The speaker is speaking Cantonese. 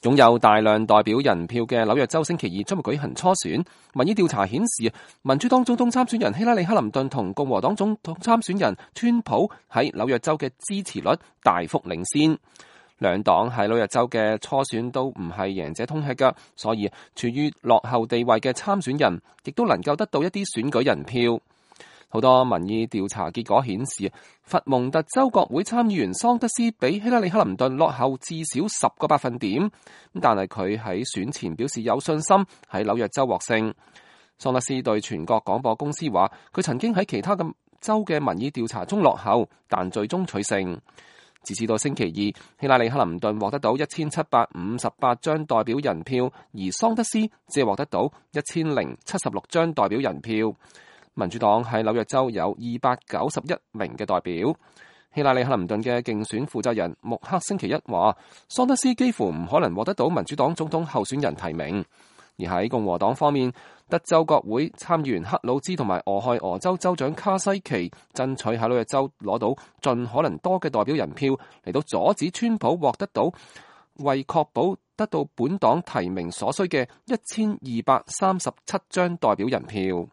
擁有大量代表人票嘅紐約州星期二將會舉行初選。民意調查顯示，民主黨總統參選人希拉里·克林頓同共和黨總統參選人川普喺紐約州嘅支持率大幅領先。兩黨喺紐約州嘅初選都唔係贏者通吃㗎，所以處於落後地位嘅參選人亦都能夠得到一啲選舉人票。好多民意調查結果顯示，佛蒙特州國會參議員桑德斯比希拉里·克林頓落後至少10個百分點，但係佢喺選前表示有信心喺紐約州獲勝。桑德斯對全國廣播公司話，佢曾經喺其他嘅州嘅民意調查中落後，但最終取勝。截至到星期二，希拉里·克林頓獲得到1758張代表人票，而桑德斯只係獲得到1076張代表人票。民主黨喺紐約州有291名嘅代表。希拉里·克林頓嘅競選負責人穆克星期一話，桑德斯幾乎唔可能獲得到民主黨總統候選人提名。而喺共和黨方面，德州國會參議員克魯茲同埋俄亥俄州州長卡西奇爭取喺紐約州攞到盡可能多嘅代表人票，嚟到阻止川普獲得到為確保得到本黨提名所需嘅1237張代表人票。